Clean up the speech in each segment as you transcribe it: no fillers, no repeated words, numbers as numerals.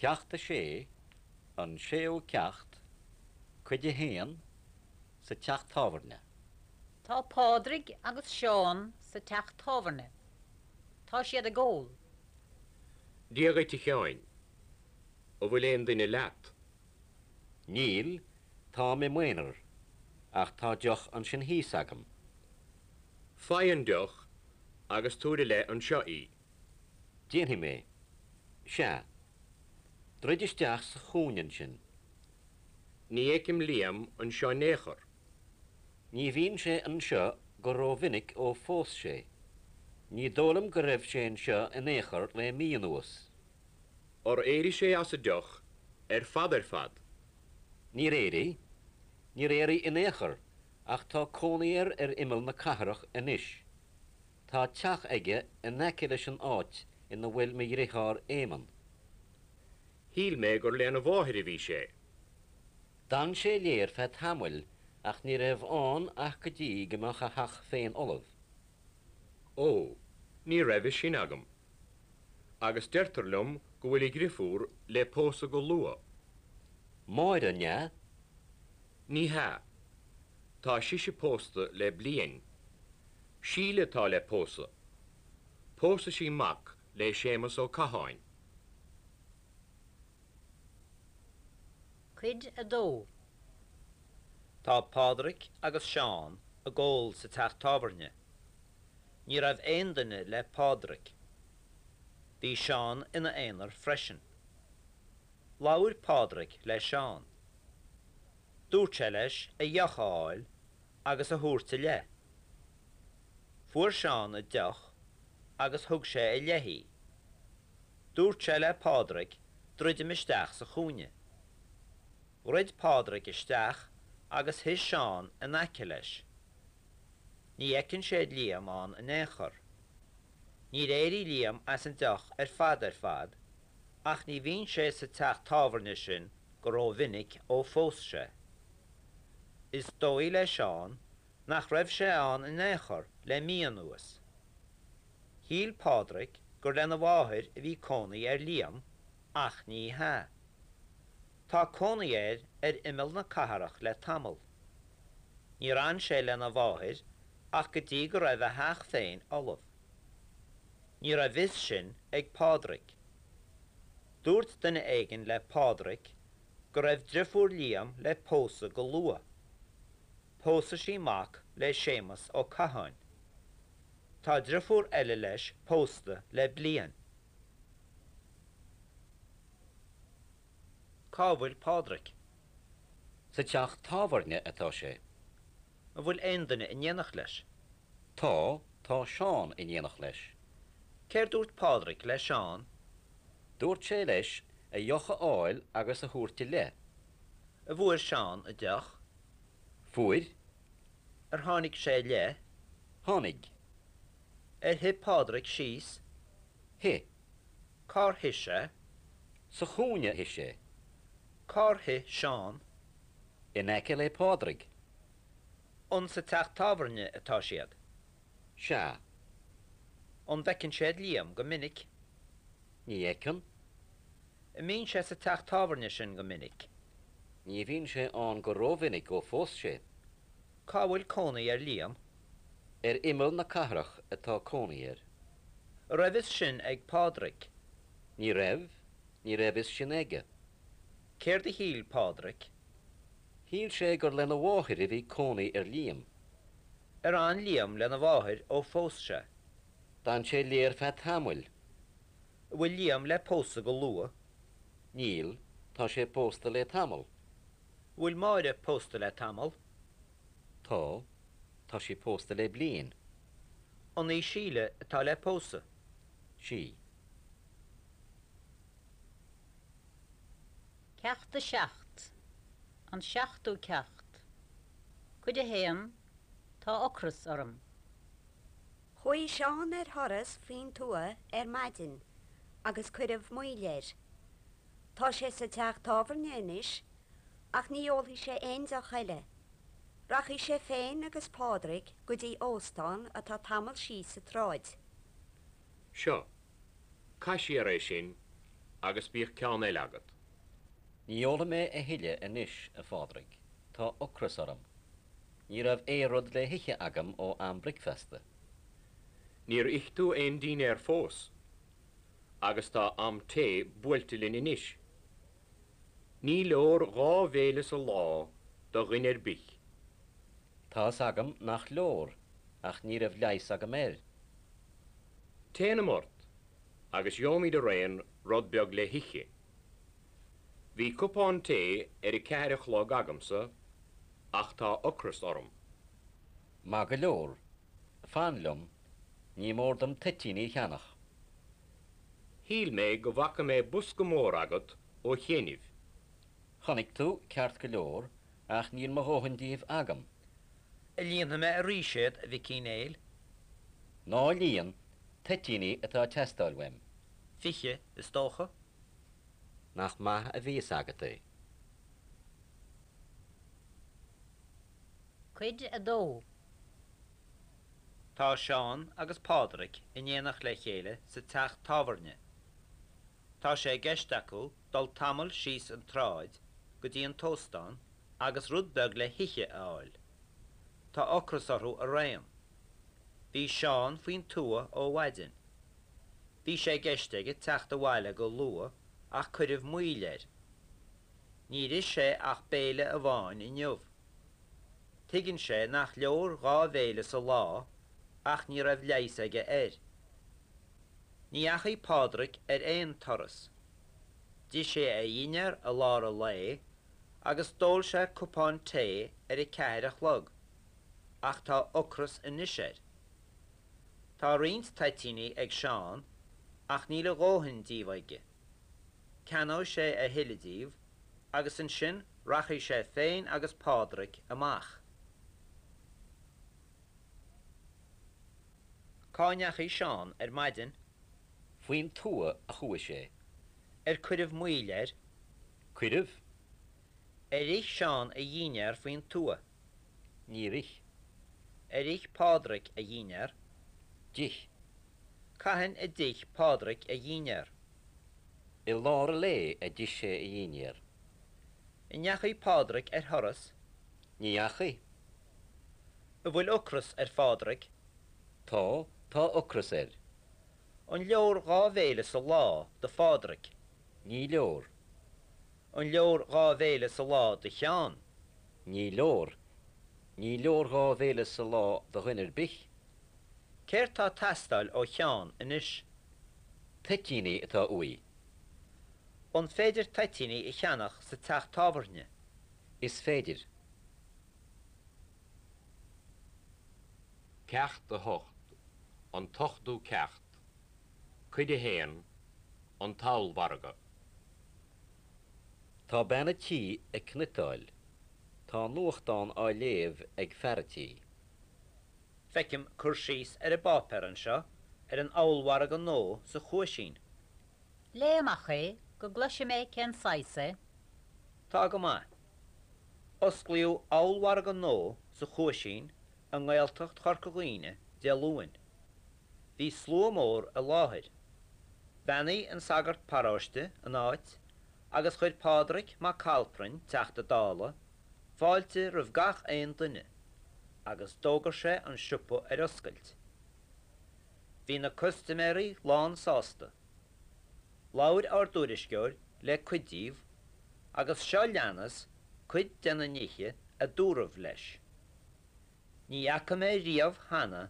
Ceacht 6, An Séú Ceacht, Cuid 1, Sa Teach Tábhairne. Tá Pádraig agus Seán sa teach tábhairne. Tá siad ag ól. Dia dhuit a Sheáin. An bhfuil aon duine leat? Níl, táim i m'aonar, ach tá deoch ansin thíos agam. Faigh an deoch agus tabhair i leith anseo í. Déanfaidh mé. Sea. Druid isteach sa chúinne ansin. Ní fheicim Liam anseo in aon chor. Ní bhíonn sé anseo go rómhinic ó phós sé. Ní dóigh liom go raibh sé anseo in aon chor le mí anuas. Ar éirigh sé as an deoch ar fad ar fad? Níor éirigh. Níor éirigh in aon chor, ach tá cónaí air ar imeall na cathrach anois. Tá teach aige in aice leis an áit ina bhfuil mo dhriotháir Éamonn. Shíl mé gur lena mháthair a bhí sé. D'fhan sé léi ar feadh tamaill ach ní raibh ann ach go dtí go mbeadh a theach féin ullamh. Ó, ní raibh fhios sin agam. Agus deirtear liom go bhfuil a dhriofúr le pósadh go luath. Máire, an ea? Ní hea. Tá sise pósta le bliain. Síle atá le pósadh. Pósfaidh sí mac le Séamus Ó Catháin. Cuid 2. Tá Pádraig agus Seán ag ól sa teach tábhairne. Ní raibh aon duine le Pádraig. Bhí Seán ina aonar freisin. Labhair Pádraig le Seán. Dúirt sé leis a dheoch a fháil agus a thabhairt i leith. Fuair Seán a deoch agus thug sé i leith í. Dúirt sé le Pádraig druidim isteach sa chúinne. Dhruid Pádraig isteach agus shuigh Seán in aice leis. Ní fheiceann sé Liam ann in aon chor. Níor éirigh Liam as an deoch ar fad ar fad ach ní bhíonn sé sa teach tábhairne sin go rómhinic ó phós sé. Is dóigh le Seán nach raibh sé ann in aon chor le mí anuas. Shíl Pádraig gur lena mháthair a bhí cónaí ar Liam ach ní hea. Tá cónaí air ar imeall na cathrach le tamall. Níor fhan sé lena mháthair ach go dtí go raibh a theach féin ullamh. Ní raibh fhios sin ag Pádraig. Dúirt duine éigin le Pádraig go raibh driofúr Liam le pósadh go luath. Pósfaidh sí mac le Séamus Ó Catháin. Tá driofúr eile leis pósta le bliain. Cá bhfuil Pádraig? Sa teach tábhairne atá sé. An bhfuil aon duine in éineacht leis? Tá, tá Seán in éineacht leis. Céard dúirt Pádraig le Seán? Dúirt sé leis a dheoch a fháil agus a thabhairt i leith. An bhfuair Seán a deoch? Fuair. Ar tháinig sé i leith? Tháinig. Ar shuigh Pádraig síos? Shuigh. Cár shuigh sé? Sa chúinne a shuigh sé. Cár shuigh Seán? In aice le Pádraig. An sa teach tábhairne atá siad? Sea. An bhfeiceann siad Liam go minic? Ní fheiceann. An mbíonn sé sa teach tábhairne sin go minic? Ní bhíonn sé ann go rómhinic ó phós sé. Cá bhfuil cónaí ar Liam? Ar imeall na cathrach atá cónaí air. An raibh fhios sin ag Pádraig? Ní raibh, ní raibh fhios sin aige. Céard a shíl Pádraig? Shíl sé gur lena mháthair a bhí cónaí ar Liam. Ar fhan Liam lena mháthair ó phós sé? D'fhan sé léi ar feadh tamaill. An bhfuil Liam le pósadh go luath? Níl, tá sé pósta le tamall. An bhfuil Máire pósta le tamall? Tá, tá sí pósta le bliain. An í Síle atá le pósadh? Sí. Ceacht 7, An seachtú ceacht, Cuid 1, Tá ocras orm. Chuaigh Seán ar thuras faoin tuath ar maidin agus cuireadh moill air. Tá sé sa teach tábhairne anois ach ní ólfaidh sé aon deoch eile. Rachaidh sé féin agus Pádraig go dtí óstán atá tamall síos an tsráid. Seo. Caith siar é sin. Agus bíodh ceann eile agat. Ní ólfaidh mé a thuilleadh anois, a Phádraig. Tá ocras orm. Ní raibh aon rud le hithe agam ó am bricfeasta. Níor ith tú aon dínnéar fós, agus tá am tae buailte linn anois. Ní leor dhá bhéile sa lá do dhuine ar bith. Tá's agam nach leor, ach ní raibh leigheas agam air. Téanam ort, agus gheobhaimid araon rud beag le hithe. Bhí cupán tae ar a ceathair a chlog agamsa ach tá ocras orm. Maith go leor. Fan liom. Ní mór dom toitíní a cheannach. Shíl mé go bhfaca mé bosca mór agat ó chianaibh. Chonaic tú, ceart go leor, ach níl mo dhóthain díobh agam. An líonfaidh mé arís iad, a Mhic Uí Néill? Ná líon, toitíní atá ag teastáil uaim. 20, is dócha. Nach maith a bhí fhios agat é. Cuid 2. Tá Seán agus Pádraig in éineacht le chéile sa teach tábhairne. Tá sé i gceist acu dul tamall síos an tsráid go dtí an t-óstán agus rud beag le hithe a fháil. Tá ocras orthu araon. Bhí Seán faoin tuath ó mhaidin. Bhí sé i gceist aige teacht abhaile go luath ach cuireadh moill air. Níor ith sé ach béile amháin inniu. Tuigeann sé nach leor dhá bhéile sa lá ach ní raibh leigheas aige air. Ní dheachaigh Pádraig ar aon turas. D'ith sé a dhinnéar i lár an lae agus d'ól sé cupán tae ar a ceathair a chlog, ach tá ocras anois air. Tá roinnt toitíní ag Seán ach níl a dhóthain díobh aige. Ceannóidh sé a thuilleadh díobh agus ansin rachaidh sé féin agus Pádraig amach. Cá ndeachaigh Seán ar maidin? Faoin tuath a chuaigh sé. Ar cuireadh moill air? Cuireadh. Ar ith Seán a dhinnéar faoin tuath? Níor ith. Ar ith Pádraig a dhinnéar? D'ith. Cathain a d'ith Pádraig a dhinnéar? I lár an lae a d'ith sé a dhinnéar. An ndeachaigh Pádraig ar thuras? Ní dheachaigh. An bhfuil ocras ar Phádraig? Tá, tá ocras air. An leor dhá bhéile sa lá do Phádraig? Ní leor. An leor dhá bhéile sa lá do Sheán? Ní leor. Ní leor dhá bhéile sa lá do dhuine ar bith. Céard tá ag teastáil ó Sheán anois? Toitíní atá uaidh. An féidir toitíní a cheannach sa teach tábhairne? Is féidir. Ceacht 8, An tOchtú Ceacht, Cuid 1, An tOllmhargadh. Tá bean a' tí ag cniotáil. Tá nuachtán á léamh ag fear a' tí. Feicim cur síos ar an bpáipéar anseo ar an ollmhargadh nua sa Chuaisín. Léigh amach é go gcloise mé cén saghas é. Tá go maith. Osclaíodh ollmhargadh nua sa Chuaisín i nGaeltacht Chorca Dhuibhne Dé Luain. Bhí slua mór i láthair. Bheannaigh an sagart paróiste an áit agus chuir Pádraig Mac Calprainn, Teachta Dála, fáilte roimh gach aon duine agus d'fhógair sé an siopa ar oscailt. Bhí na custaiméirí lán sásta. Labhair ár dtuairisceoir le cuid díobh agus seo leanas cuid de na nithe a dúradh leis. Ní fhaca mé riamh cheana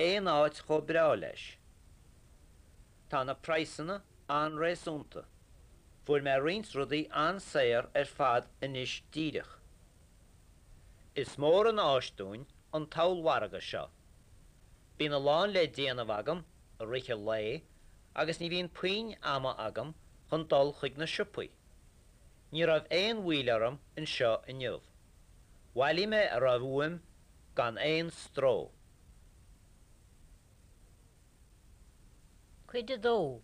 aon áit chomh breá leis. Tá na praghsanna an-réasúnta. Fuair mé roinnt rudaí an-saor ar fad anois díreach. Is mór an áis dúinn an t-ollmhargadh seo. Bíonn a lán le déanamh agam i rith an lae agus ní bhíonn puinn ama agam chun dul chuig na siopaí. Ní raibh aon mhoill orm anseo inniu. Bhailigh mé a raibh uaim gan aon stró. Cuid 2.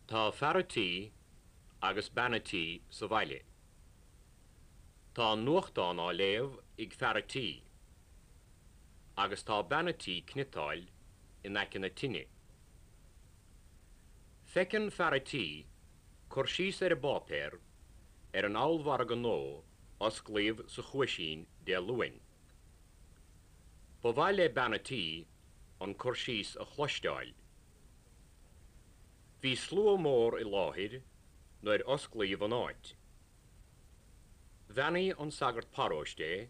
Tá fear a' tí agus bean a' tí sa bhaile. Tá an nuachtán á léamh ag fear a' tí agus tá bean a' tí cniotáil in aice na tine. Feiceann fear a' tí cur síos ar an bpáipéar ar an ollmhargadh nua a osclaíodh sa Chuaisín Dé Luain. Ba mhaith le bean a' tí an cur síos a chloisteáil. Bhí slua mór i láthair nuair osclaíodh an áit. Bheannaigh an sagart paróiste é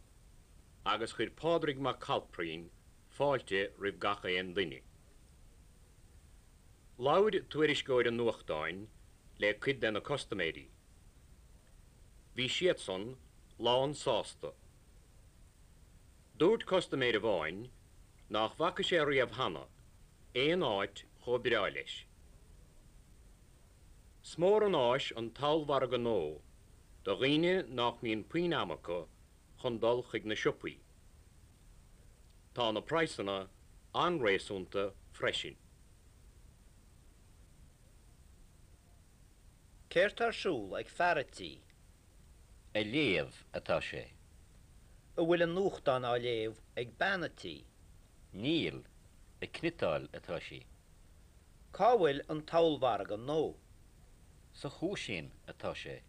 agus chuir Pádraig Mac Cailprín fáilte roimh gach aon duine. Labhair tuairisceoir an nuachtáin le cuid de na custaiméirí. Bhí siadsan lán sásta. Dúirt custaiméir amháin nach bhfaca sé riamh cheana aon áit chomh breá leis. 'S mór an áis an t-ollmhargadh nua do dhaoine nach mbíonn puinn ama acu chun dul chuig na siopaí. Tá na praghsanna an-réasúnta freisin. Céard tá ar siúl ag fear a' tí? Ag léamh atá sé. An bhfuil an nuachtán á léamh ag bean a' tí? Níl, ag cniotáil atá sí. Cá bhfuil an t-ollmhargadh nua? Sa Chuaisín atá sé.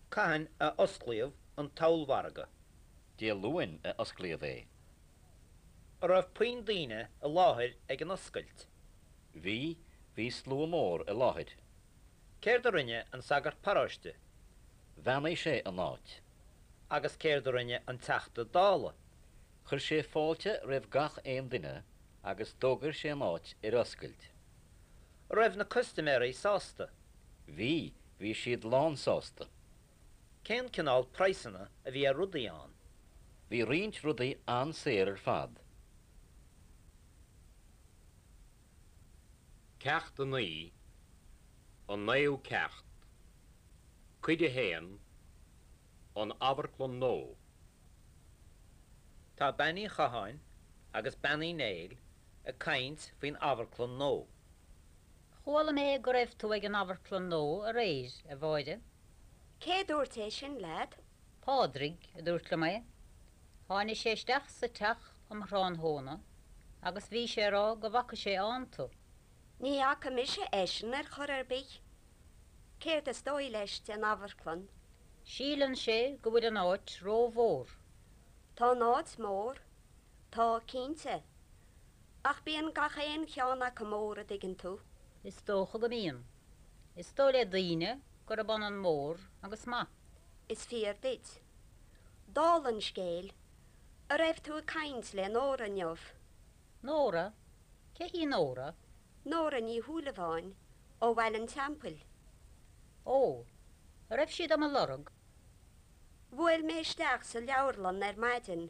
Cathain a osclaíodh an t-ollmhargadh? Dé Luain a osclaíodh é. An raibh puinn daoine i láthair ag an oscailt? Bhí, bhí slua mór i láthair. Céard a rinne an sagart paróiste? Bheannaigh sé an áit. Agus céard a rinne an Teachta Dála? Chuir sé fáilte roimh gach aon duine agus d'fhógair sé an áit ar oscailt. An raibh na custaiméirí sásta? Bhí, bhí siad lán sásta. Cén cineál praghsanna a bhí ar rudaí ann? Bhí roinnt rudaí an-saor ar fad. Ceacht 9, An Naoú Ceacht, Cuid 1, An Amharclann Nua. Tá Bean Uí Chatháin agus Bean Uí Néill ag caint faoin amharclann nua. Chuala mé go raibh tú ag an amharclann nua aréir, a Mháire. Cé a dúirt é sin leat? Pádraig a dúirt liom é. Tháinig sé isteach sa teach um thráthnóna agus bhí sé ag rá go bhfaca sé ann tú. Ní fhaca mise eisean ar chor ar bith. Céard is dóigh leis den amharclann? Síleann sé go bhfuil an áit rómhór. Tá an áit mór. Tá, cinnte. Ach bíonn gach aon cheann acu mór, a dtuigeann tú. Is dócha go mbíonn. Is dóigh le daoine gurb ionann mór agus maith. Is fíor duit. Dála an scéil, a' raibh tú ag caint le Nóra inniu? Nóra? Cé hí Nóra? Nóra Ní Shúilleabháin, ó Bhaile an Teampaill. Ó, a' raibh sí do mo lorg? Bhuail mé isteach sa leabharlann ar maidin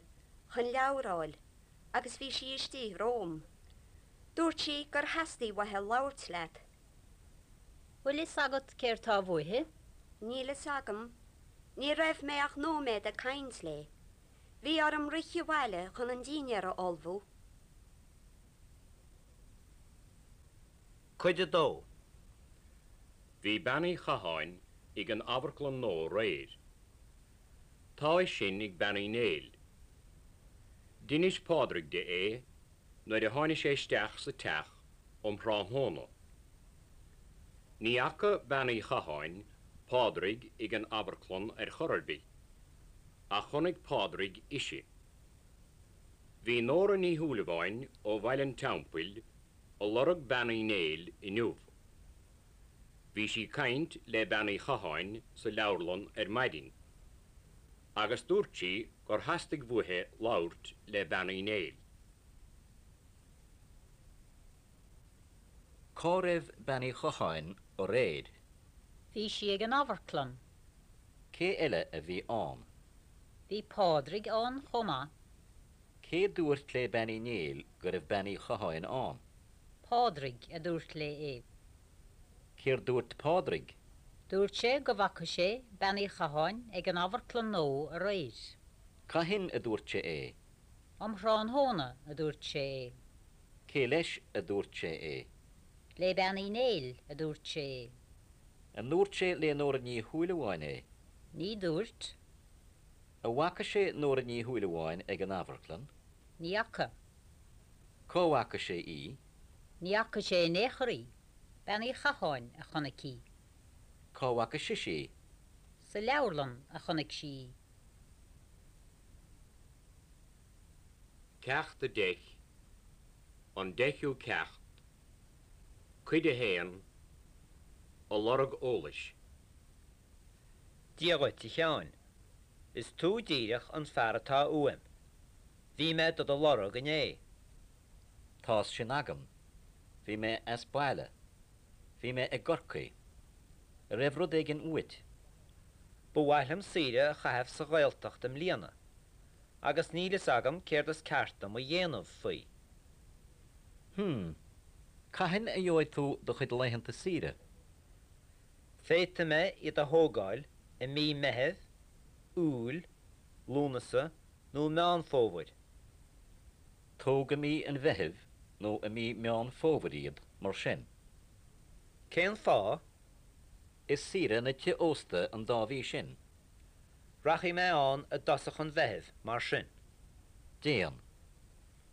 chun leabhar a fháil agus bhí sí istigh romham. Dúirt sí gur theastaigh uaithi labhairt leat. Bhfuil fhios agat céard tá uaithi? Níl fhios agam. Ní raibh mé ach nóiméad ag caint léi. Bhí orm rith abhaile chun an dinnéar a ullmhú. Cuid 2. Bhí Bean Uí Chatháin ag an amharclann nua aréir. Tá a fhios sin ag Bean Uí Néill. D'inis Pádraig di é nuair a tháinig sé isteach sa teach um thráthnóna. Ní fhaca Bean Uí Chatháin Pádraig ag an amharclann ar chor ar bith, ach chonaic Pádraig ise. Bhí Nóra Ní Shúilleabháin ó Bhaile an Teampaill a lorg Bean Uí Néill inniu. Bhí sí caint le Bean Uí Chatháin sa leabharlann ar maidin, agus dúirt sí gur theastaigh uaithi labhairt le Bean Uí Néill. Cá raibh Bean Uí Chatháin aréir? Bhí sí ag an amharclann. Cé eile a bhí ann? Bhí Pádraig ann chomh maith. Cé dúirt le Bean Uí Néill go raibh Bean Uí Chatháin ann? Pádraig a dúirt léi é. Céard dúirt Pádraig? Dúirt sé go bhfaca sé Bean Uí Chatháin ag an amharclann nua aréir. Cathain a dúirt sé é? Um thráthnóna a dúirt sé é. Cé leis a dúirt sé é? Le Bean Uí Néill a dúirt sé é. An ndúirt sé le Nóra Ní Shúilleabháin é? Ní dúirt. An bhfaca sé Nóra Ní Shúilleabháin ag an amharclann? Ní fhaca. Cá bhfaca sé í? Ní fhaca sé in aon chor í. Bean Uí Chatháin a chonaic í. Cá bhfaca sise í? Sa leabharlann a chonaic sí í. Ceacht 10, An Deichiú Ceacht, Cuid 1, A lorg eolais. Dia dhuit, a Sheáin. Is tú díreach an fear atá uaim. Bhí mé do do lorg inné. Tá's sin agam. Bhí mé as baile. Bhí mé i gCorcaigh. An raibh rud éigin uait? Ba mhaith liom saoire a chaitheamh sa Ghaeltacht i mbliana, agus níl fhios agam céard is ceart dom a dhéanamh faoi. Hm. Cathain a gheobhaidh tú do chuid laethanta saoire? Féadfaidh mé iad a thógáil i mí Meithimh, Iúil, Lúnasa nó Meán Fómhair. Tóg i mí an Mheithimh nó i mí Meán Fómhair iad, mar sin. Cén fáth? Is saoire na tithe ósta an dá mhí sin. Rachaidh mé ann i dtosach an Mheithimh, mar sin. Déan.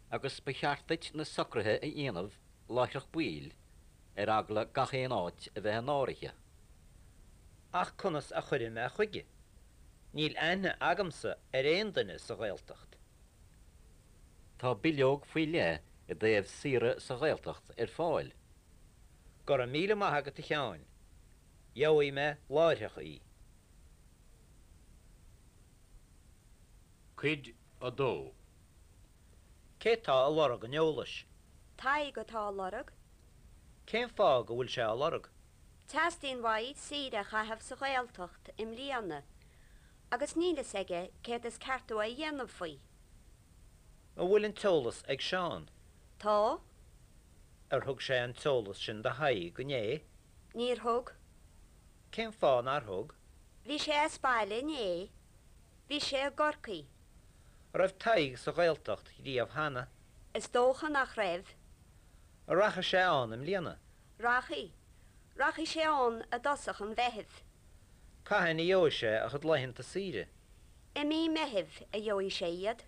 Agus ba cheart duit na socruithe a dhéanamh láithreach baill, ar eagla gach aon áit a bheith in áirithe. Ach conas a chuirfidh mé chuige? Níl aithne agamsa ar aon duine sa Ghaeltacht. Tá bileog faoi leith i dtaobh saoire sa Ghaeltacht ar fáil. Go raibh míle maith agat a Sheáin. Gheobhaidh mé láithreach í. Cuid 2. Cé tá a lorg an eolais? Tadhg atá á lorg. Cén fáth go bhfuil sé á lorg? Teastaíonn uaidh saoire a chaitheamh sa Ghaeltacht i mbliana agus níl fhios aige céard is ceart dó a dhéanamh faoi. An bhfuil an t-eolas ag Seán? Tá. Ar thug sé an t-eolas sin do Thadhg inné? Níor thug. Cén fáth nár thug? Bhí sé as baile inné. Bhí sé i gCorcaigh. An raibh Tadhg sa Ghaeltacht riamh cheana? Is dócha nach raibh. An rachaidh sé ann i mbliana? Rachaidh. Rachaidh sé ann i dtosach an Mheithimh. Cathain a gheobhaidh sé a chuid laethanta saoire? I mí Meithimh a gheobhaidh sé iad.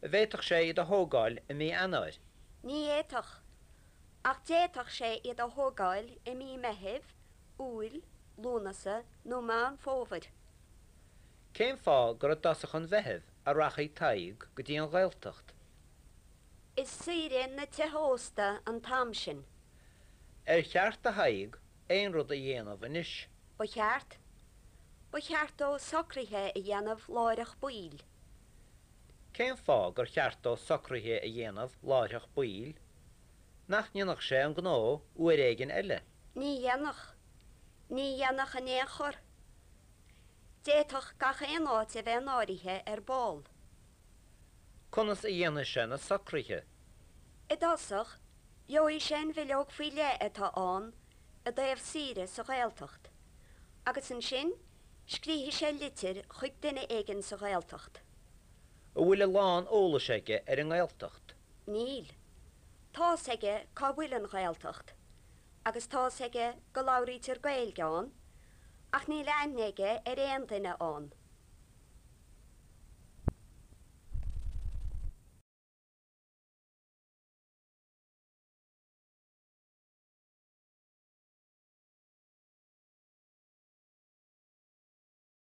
An bhféadfadh sé iad a thógáil i mí Eanáir? Ní fhéadfadh. Ach d'fhéadfadh sé iad a thógáil i mí Meithimh, Iúil, Lúnasa nó Meán Fómhair. Cén fáth gur i dtosach an Mheithimh a rachaidh Tadhg go dtí an Ghaeltacht? Is saoire na tithe ósta an t-am sin. Ar cheart do Thadhg aon rud a dhéanamh anois? Ba cheart. Ba cheart dó socruithe a dhéanamh láithreach baill. Cén fáth gur cheart dó socruithe a dhéanamh láithreach baill? Nach ndéanfadh sé an gnó uair éigin eile? Ní dhéanfadh. Ní dhéanfadh in aon chor. D'fhéadfadh gach aon áit a bheith in áirithe ar ball. Conas a dhéanfaidh sé na socruithe? I dtosach, gheobhaidh sé an bhileog faoi leith atá ann i dtaobh saoire sa Ghaeltacht, agus ansin scríobfaidh sé litir chuig duine éigin sa Ghaeltacht. An bhfuil a lán eolais aige ar an nGaeltacht? Níl. Tá's aige cá bhfuil an Ghaeltacht, agus tá's aige go labhraítear Gaeilge ann, ach níl aithne aige ar aon duine ann.